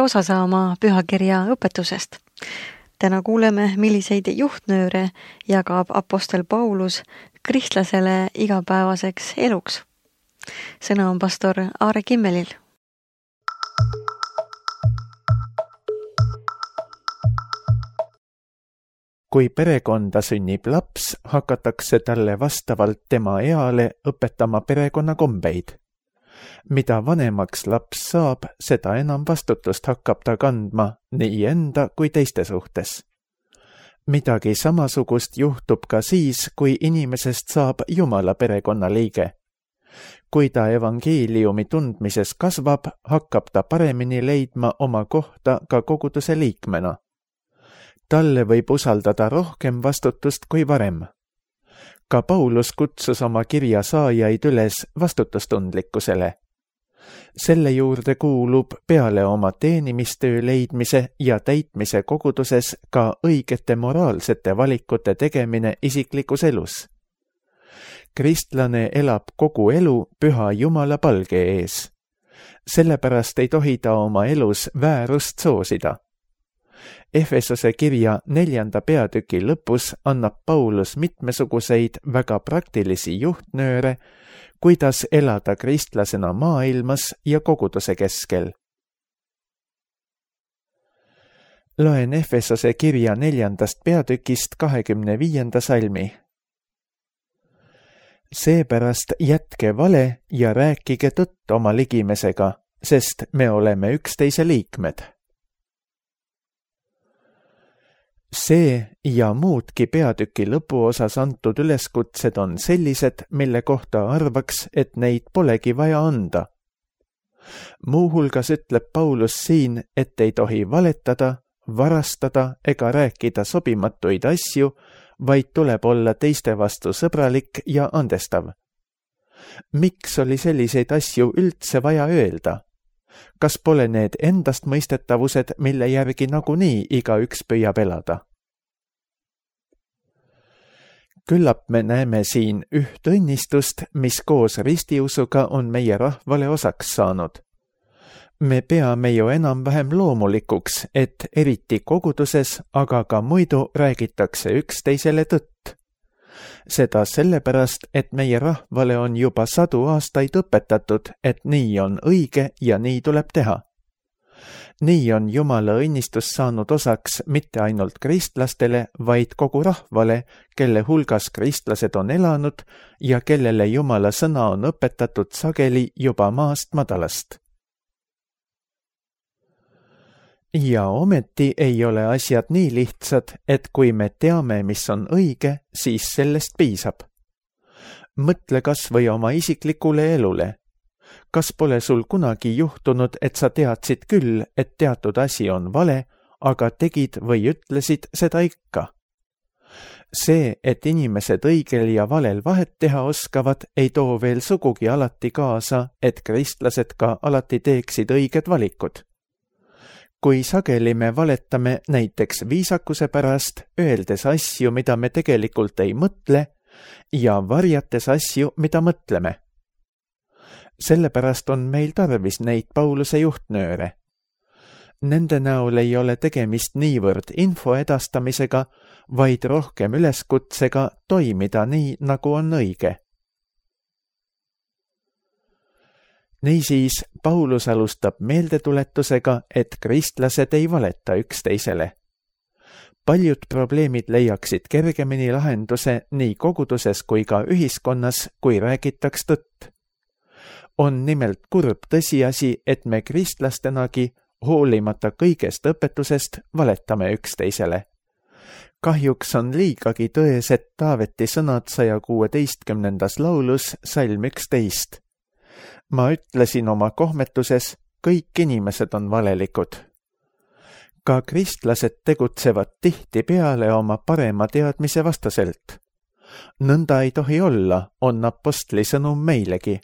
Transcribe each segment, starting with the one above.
osa saama pühakirja õpetusest. Täna kuuleme, milliseid juhtnööre jagab apostel Paulus kristlasele igapäevaseks eluks. Sõna on pastor Aare Kimmelil. Kui perekonda sünnib laps, hakatakse talle vastavalt tema eale õpetama perekonnakombeid. Mida vanemaks laps saab, seda enam vastutust hakkab ta kandma nii enda kui teiste suhtes. Midagi samasugust juhtub ka siis, kui inimesest saab Jumala perekonna liige. Kui ta evangeeliumi tundmises kasvab, hakkab ta paremini leidma oma kohta ka koguduse liikmena. Talle võib usaldada rohkem vastutust kui varem. Ka Paulus kutsus oma kirja saajaid üles vastutustundlikkusele. Selle juurde kuulub peale oma teenimistöö leidmise ja täitmise koguduses ka õigete moraalsete valikute tegemine isiklikus elus. Kristlane elab kogu elu püha Jumala palge ees. Sellepärast ei tohi ta oma elus väärust soosida. Efesose kirja 4. peatüki lõpus annab Paulus mitmesuguseid väga praktilisi juhtnööre, kuidas elada kristlasena maailmas ja koguduse keskel. Loen Efesose kirja 4. peatükist 25. salmi. Seepärast jätke vale ja rääkige tõtt oma ligimesega, sest me oleme üksteise liikmed. See ja muudki peatüki lõpuosas antud üleskutsed on sellised, mille kohta arvaks, et neid polegi vaja anda. Muuhulgas ütleb Paulus siin, et ei tohi valetada, varastada ega rääkida sobimatuid asju, vaid tuleb olla teiste vastu sõbralik ja andestav. Miks oli selliseid asju üldse vaja öelda? Kas pole need endastmõistetavused, mille järgi nagunii igaüks püüab elada? Küllap me näeme siin üht õnnistust, mis koos ristiusuga on meie rahvale osaks saanud. Me peame ju enam-vähem loomulikuks, et eriti koguduses, aga ka muidu räägitakse üksteisele tõtt. Seda sellepärast, et meie rahvale on juba 100 aastaid õpetatud, et nii on õige ja nii tuleb teha. Nii on Jumala õnnistus saanud osaks mitte ainult kristlastele, vaid kogu rahvale, kelle hulgas kristlased on elanud ja kellele Jumala sõna on õpetatud sageli juba maast madalast. Ja ometi ei ole asjad nii lihtsad, et kui me teame, mis on õige, siis sellest piisab. Mõtle kas või oma isiklikule elule. Kas pole sul kunagi juhtunud, et sa teadsid küll, et teatud asi on vale, aga tegid või ütlesid seda ikka? See, et inimesed õigel ja valel vahet teha oskavad, ei too veel sugugi alati kaasa, et kristlased ka alati teeksid õiged valikud. Kui sageli me valetame näiteks viisakuse pärast, öeldes asju, mida me tegelikult ei mõtle, ja varjates asju, mida mõtleme. Sellepärast on meil tarvis neid Pauluse juhtnööre. Nende näol ei ole tegemist niivõrd info edastamisega, vaid rohkem üleskutsega toimida nii, nagu on õige. Niisiis, Paulus alustab meeldetuletusega, et kristlased ei valeta üksteisele. Paljud probleemid leiaksid kergemini lahenduse nii koguduses kui ka ühiskonnas, kui räägitaks tõtt. On nimelt kurb tõsiasi, et me kristlastenagi, hoolimata kõigest õpetusest, valetame üksteisele. Kahjuks on liigagi tõesed Taaveti sõnad 116. laulus salm 11. Ma ütlesin oma kohmetuses, kõik inimesed on valelikud. Ka kristlased tegutsevad tihtipeale oma parema teadmise vastaselt. Nõnda ei tohi olla, on apostli sõnum meilegi.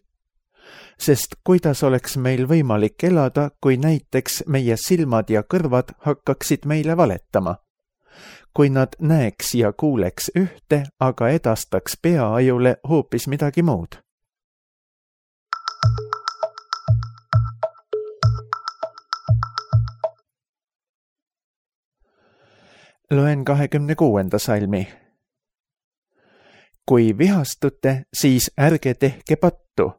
Sest kuidas oleks meil võimalik elada, kui näiteks meie silmad ja kõrvad hakkaksid meile valetama? Kui nad näeks ja kuuleks ühte, aga edastaks peaajule hoopis midagi muud. Loen 26. salmi. Kui vihastute, siis ärge tehke pattu.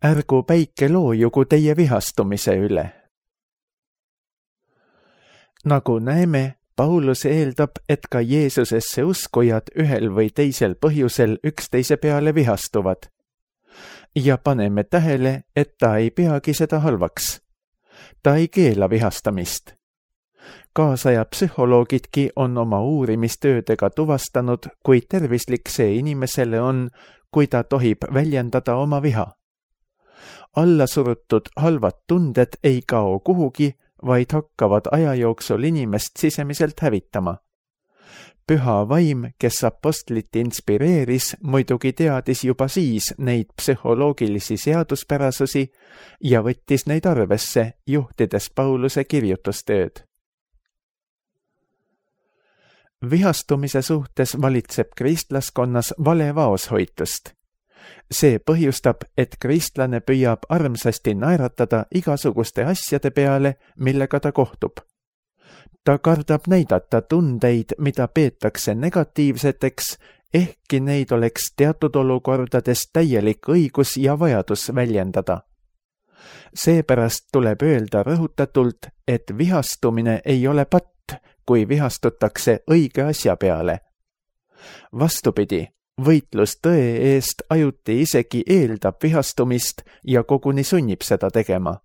Ärgu päike loojugu teie vihastumise üle. Nagu näeme, Paulus eeldab, et ka Jeesusesse uskujad ühel või teisel põhjusel üksteise peale vihastuvad. Ja paneme tähele, et ta ei peagi seda halvaks. Ta ei keela vihastamist. Kaasaja psühholoogidki on oma uurimistöödega tuvastanud, kui tervislik see inimesele on, kui ta tohib väljendada oma viha. Allasurutud halvad tunded ei kao kuhugi, vaid hakkavad aja jooksul inimest sisemiselt hävitama. Püha vaim, kes apostlit inspireeris, muidugi teadis juba siis neid psühholoogilisi seaduspärasusi ja võttis neid arvesse, juhtides Pauluse kirjutustööd. Vihastumise suhtes valitseb kristlaskonnas vale vaoshoitust. See põhjustab, et kristlane püüab armsasti naeratada igasuguste asjade peale, millega ta kohtub. Ta kardab näidata tundeid, mida peetakse negatiivseteks, ehkki neid oleks teatud olukordades täielik õigus ja vajadus väljendada. Seepärast tuleb öelda rõhutatult, et vihastumine ei ole patt, kui vihastutakse õige asja peale. Vastupidi, võitlus tõe eest ajuti isegi eeldab vihastumist ja koguni sunnib seda tegema.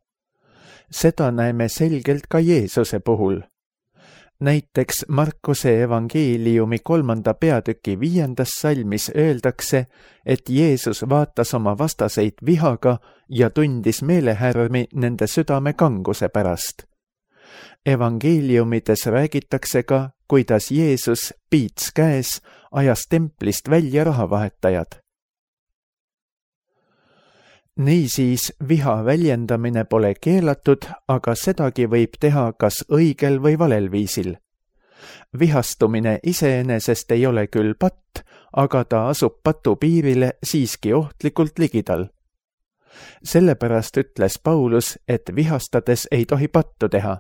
Seda näeme selgelt ka Jeesuse puhul. Näiteks Markuse evangeeliumi 3. peatüki 5. salmis öeldakse, et Jeesus vaatas oma vastaseid vihaga ja tundis meelehärmi nende südame kanguse pärast. Evangeeliumides räägitakse ka, kuidas Jeesus piits käes ajas templist välja rahavahetajad. Niisiis, viha väljendamine pole keelatud, aga sedagi võib teha kas õigel või valel viisil. Vihastumine iseenesest ei ole küll patt, aga ta asub patu piirile siiski ohtlikult ligidal. Sellepärast ütles Paulus, et vihastades ei tohi pattu teha.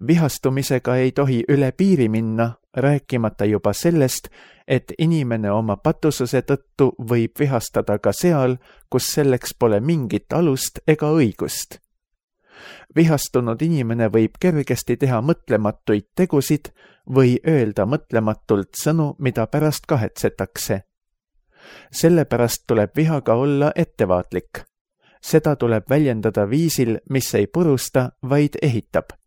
Vihastumisega ei tohi üle piiri minna, rääkimata juba sellest, et inimene oma patususe tõttu võib vihastada ka seal, kus selleks pole mingit alust ega õigust. Vihastunud inimene võib kergesti teha mõtlematuid tegusid või öelda mõtlematult sõnu, mida pärast kahetsetakse. Sellepärast tuleb vihaga olla ettevaatlik. Seda tuleb väljendada viisil, mis ei purusta, vaid ehitab.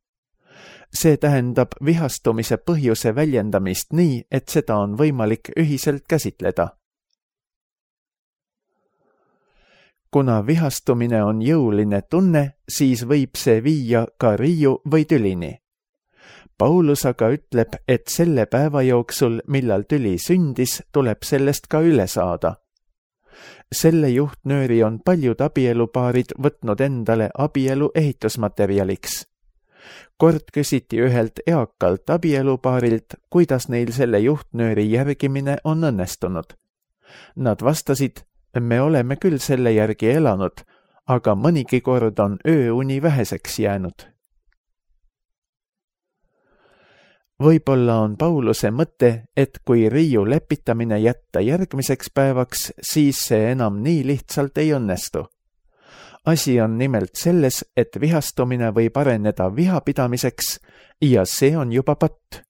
See tähendab vihastumise põhjuse väljendamist nii, et seda on võimalik ühiselt käsitleda. Kuna vihastumine on jõuline tunne, siis võib see viia ka riiu või tülini. Paulus aga ütleb, et selle päeva jooksul, millal tüli sündis, tuleb sellest ka üle saada. Selle juhtnööri on paljud abielupaarid võtnud endale abielu ehitusmaterjaliks. Kord küsiti ühelt eakalt abielupaarilt, kuidas neil selle juhtnööri järgimine on õnnestunud. Nad vastasid, me oleme küll selle järgi elanud, aga mõnigi kord on ööuni väheseks jäänud. Võib-olla on Pauluse mõte, et kui riiu lepitamine jätta järgmiseks päevaks, siis see enam nii lihtsalt ei õnnestu. Asi on nimelt selles, et vihastumine võib areneda vihapidamiseks ja see on juba patt.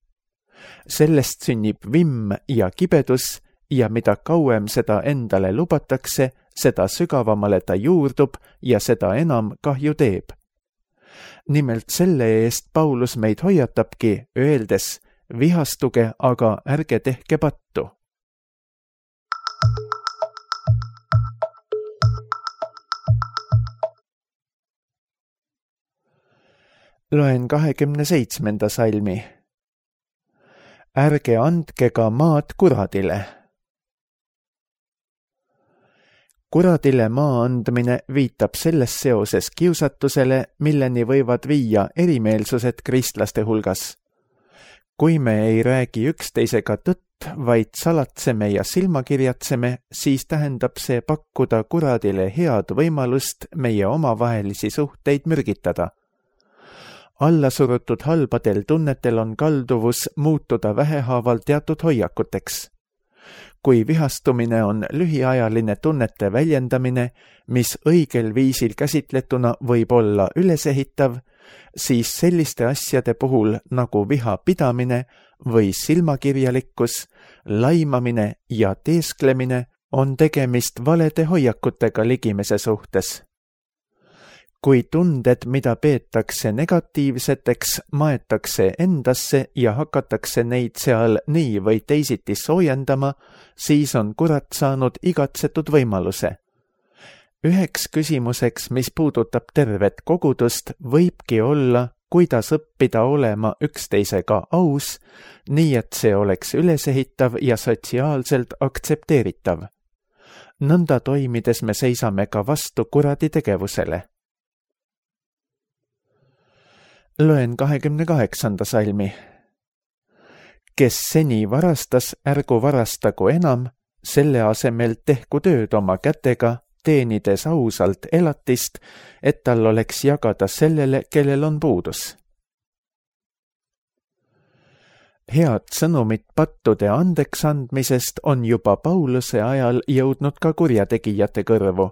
Sellest sünnib vimm ja kibedus ja mida kauem seda endale lubatakse, seda sügavamale ta juurdub ja seda enam kahju teeb. Nimelt selle eest Paulus meid hoiatabki, öeldes, vihastuge, aga ärge tehke pattu. Loen 27. salmi. Ärge andke ka maad kuradile. Kuradile maa andmine viitab selles seoses kiusatusele, milleni võivad viia erimeelsused kristlaste hulgas. Kui me ei räägi üksteisega tõtt, vaid salatseme ja silmakirjatseme, siis tähendab see pakkuda kuradile head võimalust meie omavahelisi suhteid mürgitada. allasurutud halbadel tunnetel on kalduvus muutuda vähehaaval teatud hoiakuteks. Kui vihastumine on lühiajaline tunnete väljendamine, mis õigel viisil käsitletuna võib olla ülesehitav, siis selliste asjade puhul nagu viha pidamine või silmakirjalikkus, laimamine ja teesklemine on tegemist valede hoiakutega ligimese suhtes. Kui tunded, mida peetakse negatiivseteks, maetakse endasse ja hakatakse neid seal nii või teisiti soojendama, siis on kurat saanud igatsetud võimaluse. Üheks küsimuseks, mis puudutab tervet kogudust, võibki olla, kuidas õppida olema üksteisega aus, nii et see oleks ülesehitav ja sotsiaalselt aktsepteeritav. Nõnda toimides me seisame ka vastu kuradi tegevusele. Loen 28. salmi. Kes seni varastas, ärgu varastagu enam, selle asemel tehku tööd oma kätega, teenides ausalt elatist, et tal oleks jagada sellele, kellel on puudus. Head sõnumit pattude andeks andmisest on juba Pauluse ajal jõudnud ka kurjategijate kõrvu.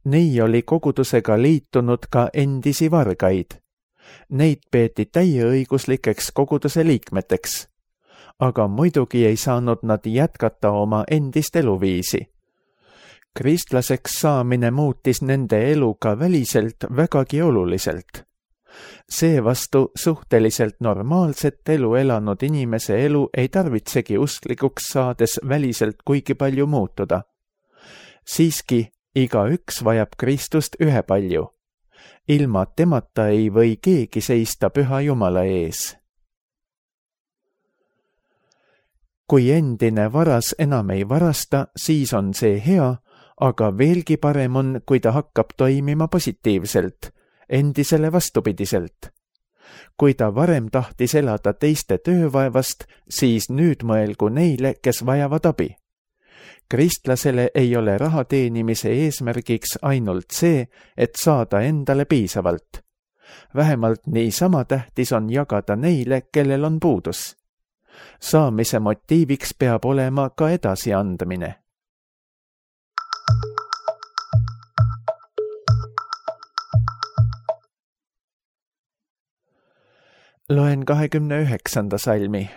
Nii oli kogudusega liitunud ka endisi vargaid. Neid peeti täieõiguslikeks koguduse liikmeteks, aga muidugi ei saanud nad jätkata oma endist eluviisi. Kristlaseks saamine muutis nende elu ka väliselt vägagi oluliselt. Seevastu suhteliselt normaalset elu elanud inimese elu ei tarvitsegi usklikuks saades väliselt kuigi palju muutuda. Siiski igaüks vajab Kristust ühepalju. Ilma temata ei või keegi seista püha Jumala ees. Kui endine varas enam ei varasta, siis on see hea, aga veelgi parem on, kui ta hakkab toimima positiivselt, endisele vastupidiselt. Kui ta varem tahtis elada teiste töövaevast, siis nüüd mõelgu neile, kes vajavad abi. Kristlasele ei ole raha teenimise eesmärgiks ainult see, et saada endale piisavalt. Vähemalt niisama tähtis on jagada neile, kellel on puudus. Saamise motiiviks peab olema ka edasiandmine. Loen 29. salmi.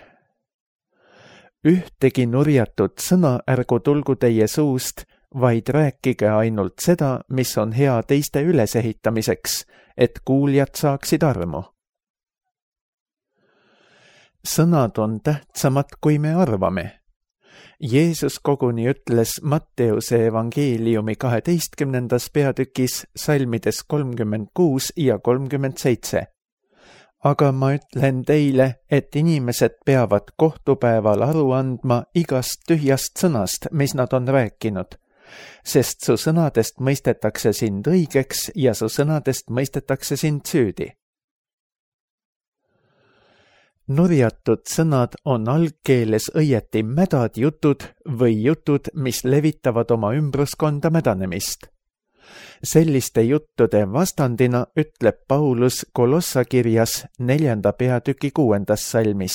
Ühtegi nurjatud sõna ärgu tulgu teie suust, vaid rääkige ainult seda, mis on hea teiste ülesehitamiseks, et kuuljad saaksid armu. Sõnad on tähtsamad, kui me arvame. Jeesus koguni ütles Matteuse evangeeliumi 12. peatükis salmides 36 ja 37. Aga ma ütlen teile, et inimesed peavad kohtupäeval aru andma igast tühjast sõnast, mis nad on rääkinud, sest su sõnadest mõistetakse sind õigeks ja su sõnadest mõistetakse sind süüdi. Nurjatud sõnad on algkeeles õieti mädad jutud või jutud, mis levitavad oma ümbruskonda mädanemist. Selliste juttude vastandina ütleb Paulus Kolossa kirjas 4. peatüki 6. salmis.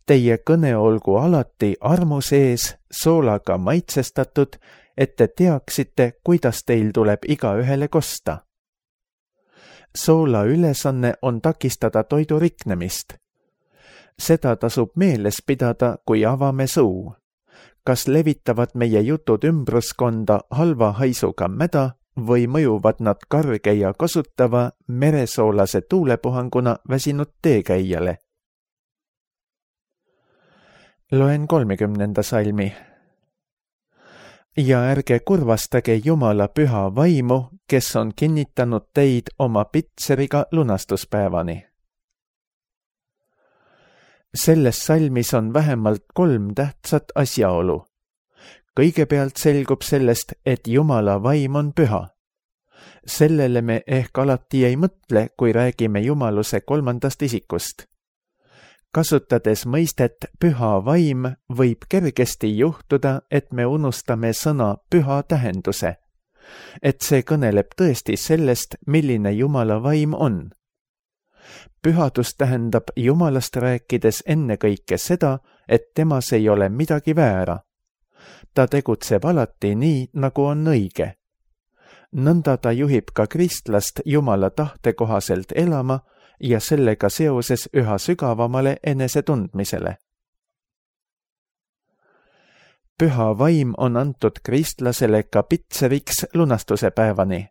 Teie kõne olgu alati armu sees, soolaga maitsestatud, et te teaksite, kuidas teil tuleb igaühele kosta. Soola ülesanne on takistada toidu riknemist. Seda tasub meeles pidada, kui avame suu. Kas levitavad meie jutud ümbruskonda halva haisuga mäda või mõjuvad nad karge ja kasutava meresoolase tuulepuhanguna väsinud teekäijale? Loen 30. salmi. Ja ärge kurvastage Jumala püha vaimu, kes on kinnitanud teid oma pitseriga lunastuspäevani. Selles salmis on vähemalt 3 tähtsat asjaolu. Kõigepealt selgub sellest, et Jumala vaim on püha. Sellele me ehk alati ei mõtle, kui räägime jumaluse 3. isikust. Kasutades mõistet püha vaim, võib kergesti juhtuda, et me unustame sõna püha tähenduse. Et see kõneleb tõesti sellest, milline Jumala vaim on. Pühadus tähendab Jumalast rääkides ennekõike seda, et temas ei ole midagi väära. Ta tegutseb alati nii, nagu on õige. Nõnda ta juhib ka kristlast Jumala tahte kohaselt elama ja sellega seoses üha sügavamale enesetundmisele. Püha vaim on antud kristlasele ka pitseriks lunastuse päevani.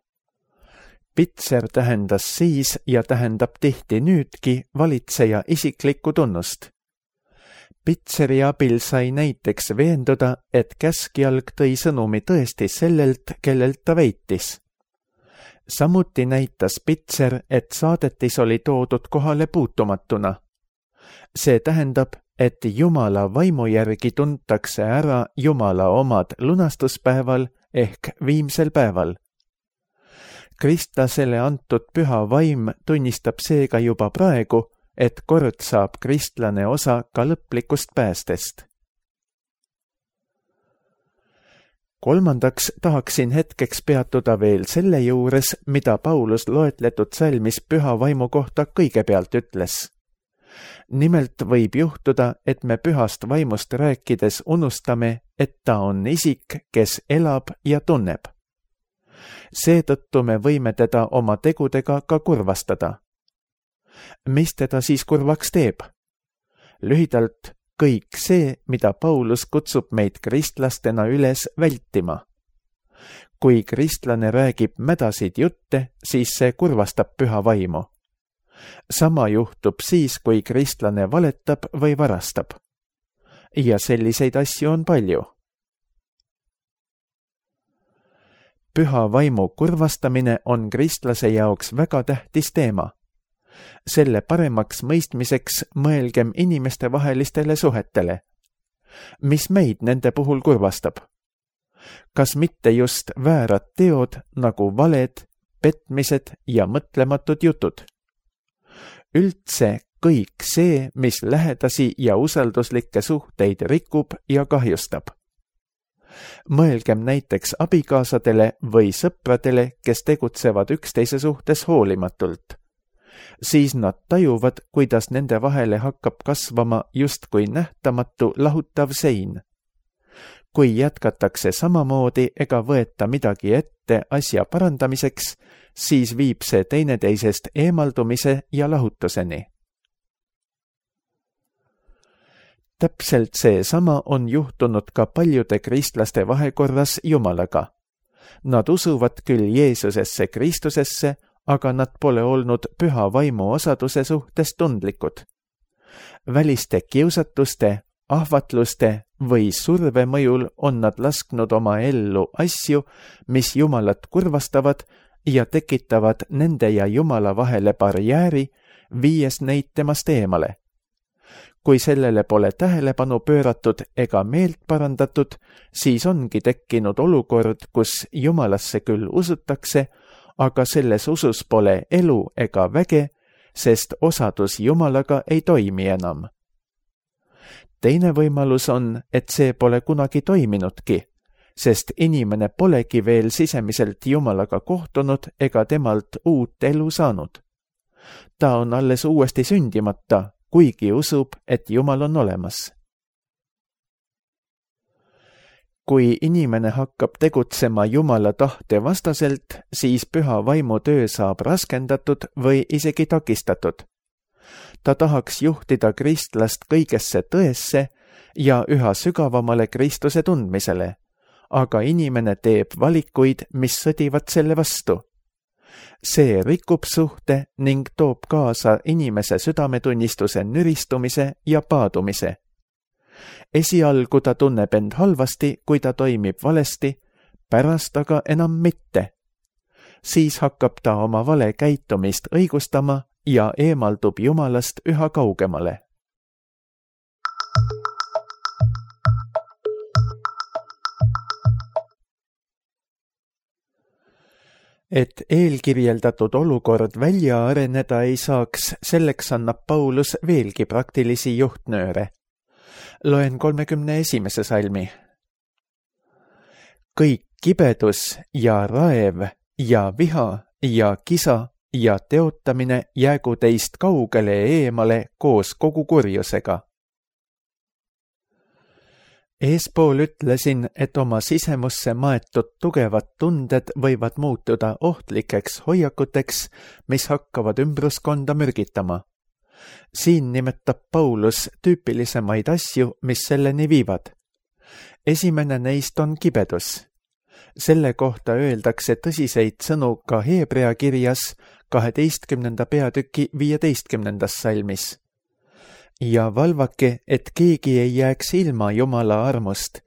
Pitser tähendas siis ja tähendab tihti nüüdki valitseja isiklikku tunnust. Pitseri abil sai näiteks veenduda, et käskjalg tõi sõnumi tõesti sellelt, kellelt ta veitis. Samuti näitas pitser, et saadetis oli toodud kohale puutumatuna. See tähendab, et Jumala vaimu järgi tuntakse ära Jumala omad lunastuspäeval ehk viimsel päeval. Kristlasele antud püha vaim tunnistab seega juba praegu, et kord saab kristlane osa ka lõplikust päästest. Kolmandaks tahaksin hetkeks peatuda veel selle juures, mida Paulus loetletud salmis püha vaimu kohta kõigepealt ütles. Nimelt võib juhtuda, et me pühast vaimust rääkides unustame, et ta on isik, kes elab ja tunneb. Seetõttu me võime teda oma tegudega ka kurvastada. Mis teda siis kurvaks teeb? Lühidalt kõik see, mida Paulus kutsub meid kristlastena üles vältima. Kui kristlane räägib mädasid jutte, siis see kurvastab püha vaimu. Sama juhtub siis, kui kristlane valetab või varastab. Ja selliseid asju on palju. Püha vaimu kurvastamine on kristlase jaoks väga tähtis teema. Selle paremaks mõistmiseks mõelgem inimeste vahelistele suhetele. Mis meid nende puhul kurvastab? Kas mitte just väärad teod nagu valed, petmised ja mõtlematud jutud? Üldse kõik see, mis lähedasi ja usalduslikke suhteid rikub ja kahjustab. Mõelgem näiteks abikaasadele või sõpradele, kes tegutsevad üksteise suhtes hoolimatult. Siis nad tajuvad, kuidas nende vahele hakkab kasvama justkui nähtamatu lahutav sein. Kui jätkatakse samamoodi ega võeta midagi ette asja parandamiseks, siis viib see teineteisest eemaldumise ja lahutuseni. Täpselt seesama on juhtunud ka paljude kristlaste vahekorras Jumalaga. Nad usuvad küll Jeesusesse Kristusesse, aga nad pole olnud püha vaimu osaduse suhtes tundlikud. Väliste kiusatuste, ahvatluste või surve mõjul on nad lasknud oma ellu asju, mis Jumalat kurvastavad ja tekitavad nende ja Jumala vahele barjääri, viies neid temast eemale. Kui sellele pole tähelepanu pööratud ega meelt parandatud, siis ongi tekkinud olukord, kus Jumalasse küll usutakse, aga selles usus pole elu ega väge, sest osadus Jumalaga ei toimi enam. Teine võimalus on, et see pole kunagi toiminudki, sest inimene polegi veel sisemiselt Jumalaga kohtunud ega temalt uut elu saanud. Ta on alles uuesti sündimata, kuigi usub, et Jumal on olemas. Kui inimene hakkab tegutsema Jumala tahte vastaselt, siis püha vaimu töö saab raskendatud või isegi takistatud. Ta tahaks juhtida kristlast kõigesse tõesse ja üha sügavamale Kristuse tundmisele, aga inimene teeb valikuid, mis sõdivad selle vastu. See rikub suhte ning toob kaasa inimese südametunnistuse nüristumise ja paadumise. Esialgu ta tunneb end halvasti, kui ta toimib valesti, pärast aga enam mitte. Siis hakkab ta oma vale käitumist õigustama ja eemaldub Jumalast üha kaugemale. Et eelkirjeldatud olukord välja areneda ei saaks, selleks annab Paulus veelgi praktilisi juhtnööre. Loen 31. salmi. Kõik kibedus ja raev ja viha ja kisa ja teotamine jäägu teist kaugele eemale koos kogu kurjusega. Eespool ütlesin, et oma sisemusse maetud tugevad tunded võivad muutuda ohtlikeks hoiakuteks, mis hakkavad ümbruskonda mürgitama. Siin nimetab Paulus tüüpilisemaid asju, mis selleni viivad. Esimene neist on kibedus. Selle kohta öeldakse tõsiseid sõnu ka Heebrea kirjas 12. peatüki 15. salmis. Ja valvake, et keegi ei jääks ilma Jumala armust,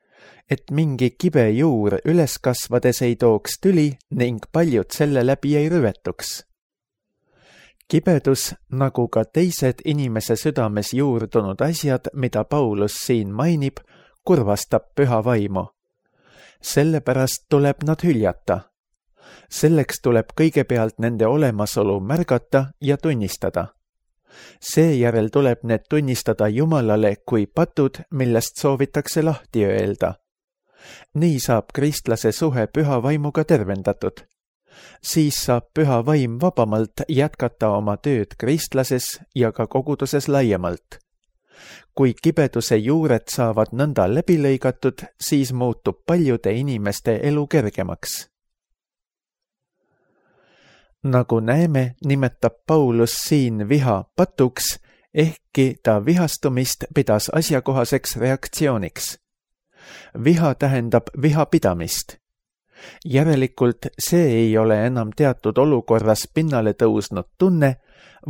et mingi kibe juur üles kasvades ei tooks tüli ning paljud selle läbi ei rüvetuks. Kibedus, nagu ka teised inimese südames juurdunud asjad, mida Paulus siin mainib, kurvastab püha vaimu. Sellepärast tuleb nad hüljata. Selleks tuleb kõigepealt nende olemasolu märgata ja tunnistada. Seejärel tuleb need tunnistada Jumalale kui patud, millest soovitakse lahti öelda. Nii saab kristlase suhe püha vaimuga tervendatud. Siis saab püha vaim vabamalt jätkata oma tööd kristlases ja ka koguduses laiemalt. Kui kibeduse juured saavad nõnda läbi lõigatud, siis muutub paljude inimeste elu kergemaks. Nagu näeme, nimetab Paulus siin viha patuks, ehkki ta vihastumist pidas asjakohaseks reaktsiooniks. Viha tähendab vihapidamist. Järelikult see ei ole enam teatud olukorras pinnale tõusnud tunne,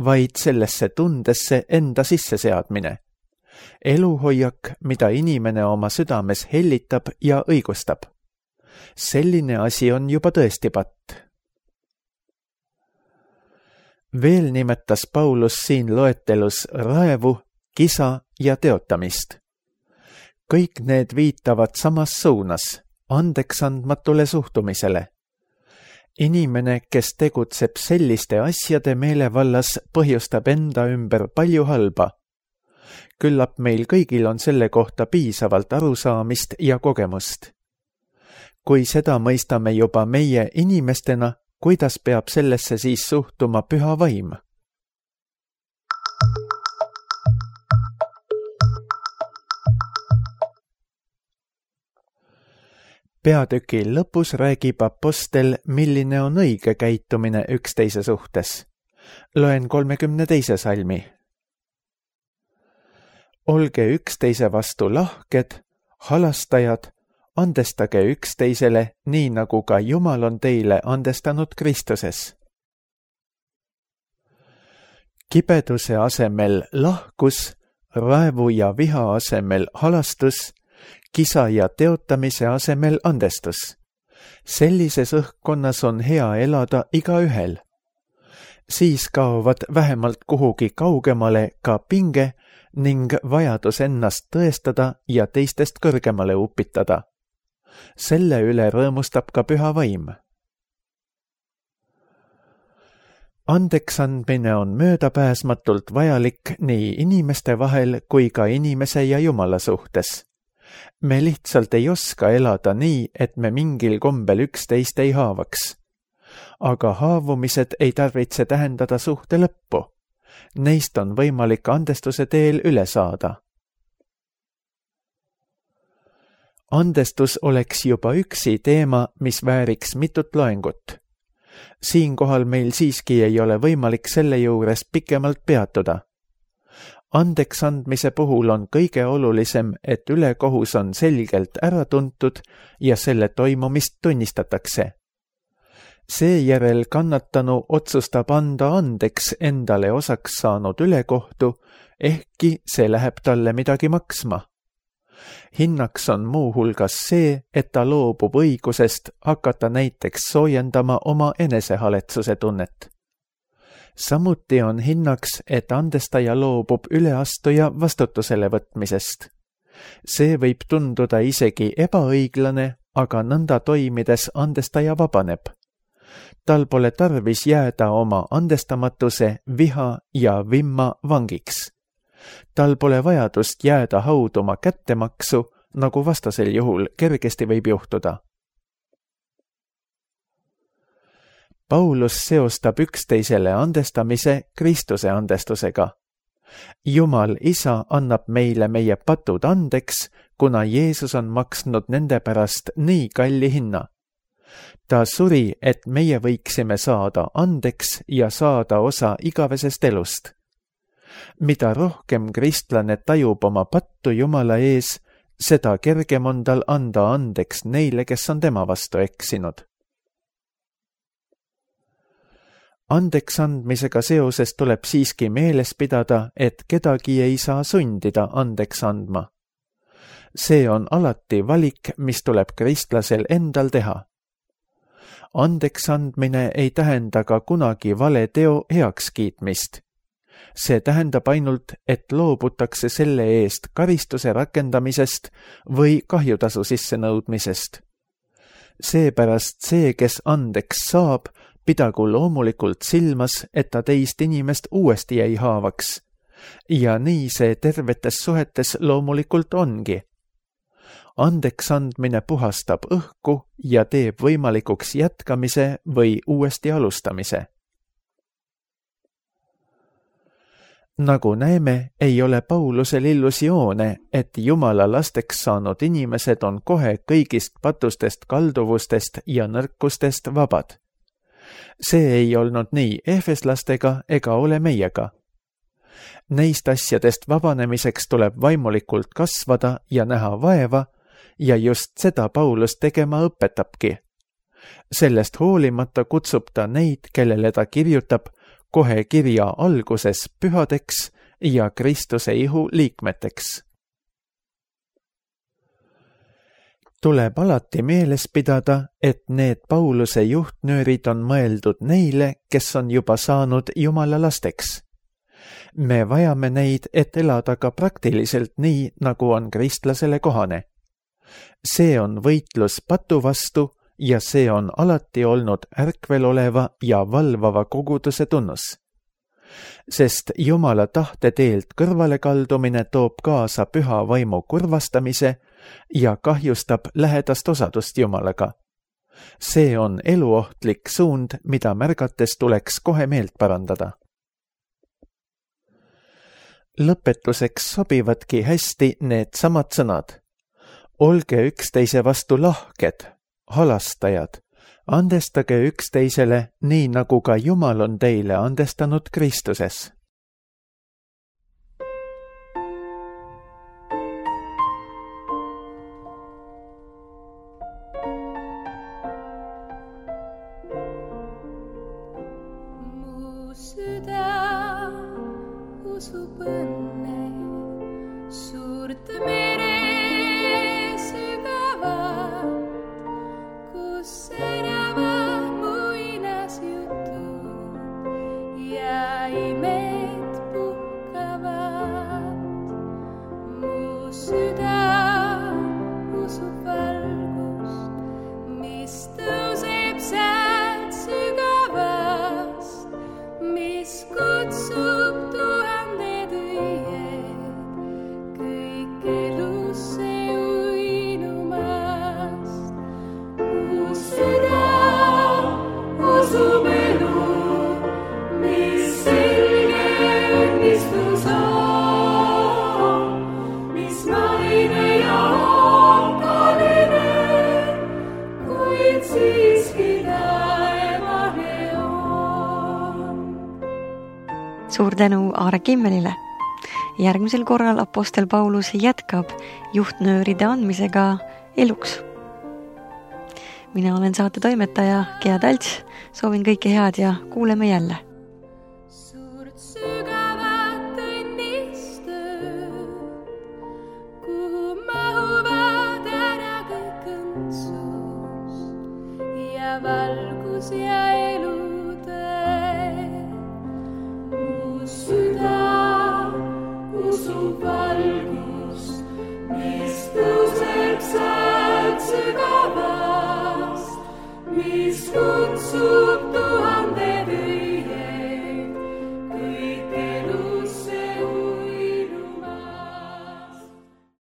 vaid sellesse tundesse enda sisseseadmine. Eluhoiak, mida inimene oma südames hellitab ja õigustab. Selline asi on juba tõesti patt. Veel nimetas Paulus siin loetelus raevu, kisa ja teotamist. Kõik need viitavad samas suunas, andeksandmatule suhtumisele. Inimene, kes tegutseb selliste asjade meelevallas, põhjustab enda ümber palju halba. Küllap meil kõigil on selle kohta piisavalt arusaamist ja kogemust. Kui seda mõistame juba meie inimestena, kuidas peab sellesse siis suhtuma püha vaim? Peatüki lõpus räägib apostel, milline on õige käitumine üksteise suhtes. Loen 32. salmi. Olge üksteise vastu lahked, halastajad, andestage üksteisele, nii nagu ka Jumal on teile andestanud Kristuses. Kibeduse asemel lahkus, raevu ja viha asemel halastus, kisa ja teotamise asemel andestus. Sellises õhkkonnas on hea elada igaühel. Siis kaovad vähemalt kuhugi kaugemale ka pinge ning vajadus ennast tõestada ja teistest kõrgemale upitada. Selle üle rõõmustab ka püha vaim. Andeksandmine on möödapääsmatult vajalik nii inimeste vahel kui ka inimese ja Jumala suhtes. Me lihtsalt ei oska elada nii, et me mingil kombel üksteist ei haavaks. Aga haavumised ei tarvitse tähendada suhte lõppu. Neist on võimalik andestuse teel üle saada. Andestus oleks juba üksi teema, mis vääriks mitut loengut. Siinkohal meil siiski ei ole võimalik selle juures pikemalt peatuda. Andeks andmise puhul on kõige olulisem, et ülekohus on selgelt ära tuntud ja selle toimumist tunnistatakse. Seejärel kannatanu otsustab anda andeks endale osaks saanud ülekohtu, ehkki see läheb talle midagi maksma. Hinnaks on muuhulgas see, et ta loobub õigusest hakata näiteks soojendama oma enesehaletsuse tunnet. Samuti on hinnaks, et andestaja loobub üleastuja vastutusele võtmisest. See võib tunduda isegi ebaõiglane, aga nõnda toimides andestaja vabaneb. Tal pole tarvis jääda oma andestamatuse, viha ja vimma vangiks. Tal pole vajadust jääda hauduma kättemaksu, nagu vastasel juhul kergesti võib juhtuda. Paulus seostab üksteisele andestamise Kristuse andestusega. Jumal Isa annab meile meie patud andeks, kuna Jeesus on maksnud nende pärast nii kalli hinna. Ta suri, et meie võiksime saada andeks ja saada osa igavesest elust. Mida rohkem kristlane tajub oma pattu Jumala ees, seda kergem on tal anda andeks neile, kes on tema vastu eksinud. Andeks andmisega seoses tuleb siiski meeles pidada, et kedagi ei saa sundida andeks andma. See on alati valik, mis tuleb kristlasel endal teha. Andeks andmine ei tähenda ka kunagi vale teo heakskiitmist. See tähendab ainult, et loobutakse selle eest karistuse rakendamisest või kahjutasu sissenõudmisest. Seepärast see, kes andeks saab, pidagu loomulikult silmas, et ta teist inimest uuesti ei haavaks. Ja nii see tervetes suhetes loomulikult ongi. Andeks andmine puhastab õhku ja teeb võimalikuks jätkamise või uuesti alustamise. Nagu näeme, ei ole Paulusel illusioone, et Jumala lasteks saanud inimesed on kohe kõigist patustest kalduvustest ja nõrkustest vabad. See ei olnud nii efeslastega ega ole meiega. Neist asjadest vabanemiseks tuleb vaimulikult kasvada ja näha vaeva, ja just seda Paulus tegema õpetabki. Sellest hoolimata kutsub ta neid, kellele ta kirjutab, kohe kirja alguses pühadeks ja Kristuse ihu liikmeteks. Tuleb alati meeles pidada, et need Pauluse juhtnöörid on mõeldud neile, kes on juba saanud Jumala lasteks. Me vajame neid, et elada ka praktiliselt nii, nagu on kristlasele kohane. See on võitlus patu vastu ja see on alati olnud ärkvel oleva ja valvava koguduse tunnus. Sest Jumala tahte teelt kõrvalekaldumine toob kaasa püha vaimu kurvastamise ja kahjustab lähedast osadust Jumalaga. See on eluohtlik suund, mida märgates tuleks kohe meelt parandada. Lõpetuseks sobivadki hästi need samad sõnad. Olge üksteise vastu lahked, halastajad, andestage üksteisele nii, nagu ka Jumal on teile andestanud Kristuses. Mu süda usub õnne, suurt mere Suur tänu Aare Kimmelile. Järgmisel korral apostel Paulus jätkab juhtnööride andmisega eluks. Mina olen saate toimetaja Gea Talts, soovin kõike head ja kuuleme jälle. Suurt sügavat õnnistööd, kuhu mahuvad ära kõik õndsus ja valgus ja elu. Süda usub valgust, mis tõuseb sealt sügavast, mis kutsub